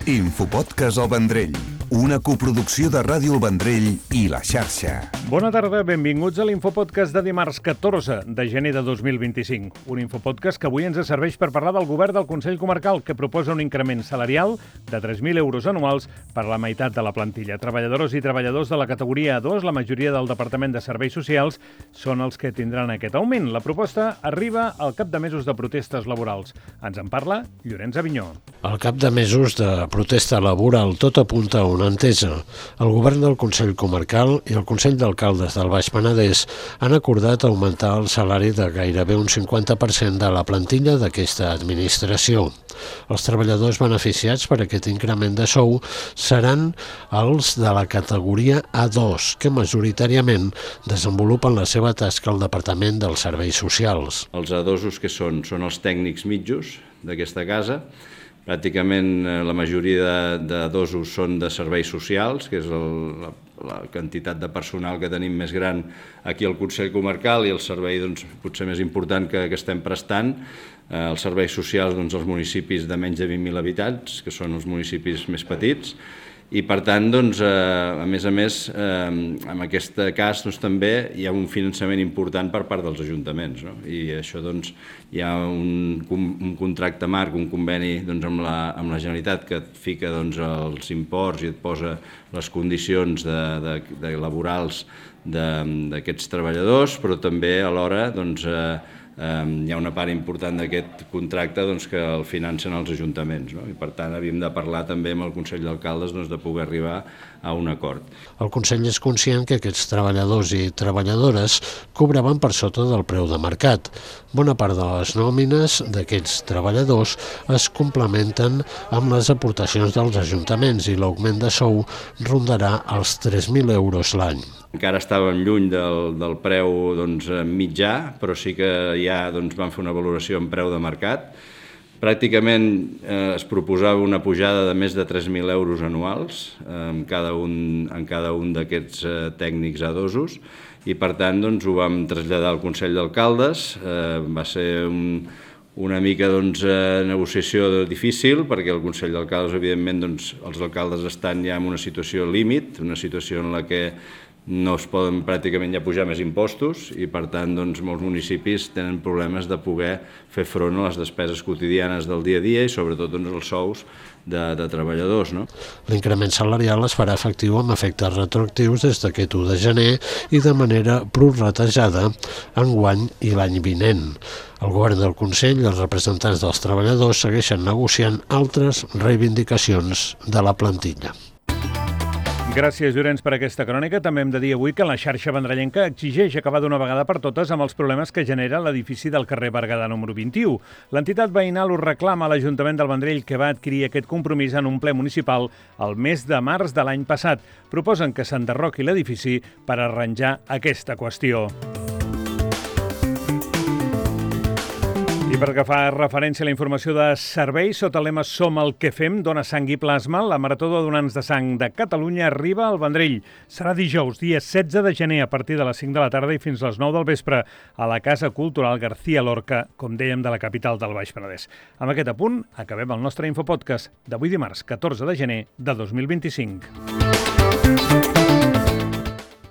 Infopodcast El Vendrell, una coproducció de Ràdio El Vendrell i La Xarxa. Bona tarda, benvinguts a l'Infopodcast de dimarts 14 de gener de 2025. Un Infopodcast que avui ens serveix per parlar del govern del Consell Comarcal, que proposa un increment salarial de 3.000 euros anuals per la meitat de la plantilla. Treballadores i treballadors de la categoria A2, la majoria del Departament de Serveis Socials, són els que tindran aquest augment. La proposta arriba al cap de mesos de protestes laborals. Ens en parla Llorenç Avinyó. Al cap de mesos de protesta laboral, tot apunta a una entesa. El govern del Consell Comarcal i el Consell d'Alcaldes del Baix Penedès han acordat augmentar el salari de gairebé un 50% de la plantilla d'aquesta administració. Els treballadors beneficiats per aquest increment de sou seran els de la categoria A2, que majoritàriament desenvolupen la seva tasca al Departament dels Serveis Socials. Els A2 que són els tècnics mitjos d'aquesta casa. Pràcticament la majoria de dosos són de serveis socials, que és la quantitat de personal que tenim més gran aquí al Consell Comarcal i el servei potser més important que estem prestant. Els serveis socials als municipis de menys de 20.000 habitants, que són els municipis més petits. I per tant, a més, en aquest cas també hi ha un finançament important per part dels ajuntaments. I això hi ha un contracte marc, un conveni amb la Generalitat que et fica els imports i et posa les condicions laborals d'aquests treballadors, però també alhora hi ha una part important d'aquest contracte que el financen els ajuntaments. I per tant havíem de parlar també amb el Consell d'Alcaldes de poder arribar a un acord. El Consell és conscient que aquests treballadors i treballadores cobraven per sota del preu de mercat. Bona part de les nòmines d'aquests treballadors es complementen amb les aportacions dels ajuntaments i l'augment de sou rondarà els 3.000 euros l'any. Encara estàvem lluny del preu mitjà, però sí que ja van fer una valoració en preu de mercat. Pràcticament es proposava una pujada de més de 3.000 euros anuals en cada un d'aquests tècnics A2 i per tant ho vam traslladar al Consell d'Alcaldes. Va ser una mica negociació difícil perquè el Consell d'Alcaldes, evidentment, els alcaldes estan ja en una situació límit, una situació en la que no es poden pràcticament ja pujar més impostos i per tant molts municipis tenen problemes de poder fer front a les despeses quotidianes del dia a dia i sobretot els sous de treballadors. L'increment salarial es farà efectiu amb efectes retroactius des d'aquest 1 de gener i de manera prorratejada enguany i l'any vinent. El govern del Consell i els representants dels treballadors segueixen negociant altres reivindicacions de la plantilla. Gràcies, Llorenç, per aquesta crònica. També hem de dir avui que la xarxa vendrellenca exigeix acabar d'una vegada per totes amb els problemes que genera l'edifici del carrer Berguedà número 21. L'entitat veïnal ho reclama a l'Ajuntament del Vendrell, que va adquirir aquest compromís en un ple municipal el mes de març de l'any passat. Proposen que s'enderroqui l'edifici per arranjar aquesta qüestió. I pel que fa referència a la informació de serveis, sota el lema Som el que fem, dona sang i plasma, la Marató de Donants de Sang de Catalunya arriba al Vendrell. Serà dijous, dia 16 de gener, a partir de les 5 de la tarda i fins a les 9 del vespre, a la Casa Cultural García Lorca, com dèiem, de la capital del Baix Penedès. Amb aquest apunt, acabem el nostre Infopodcast d'avui dimarts, 14 de gener de 2025.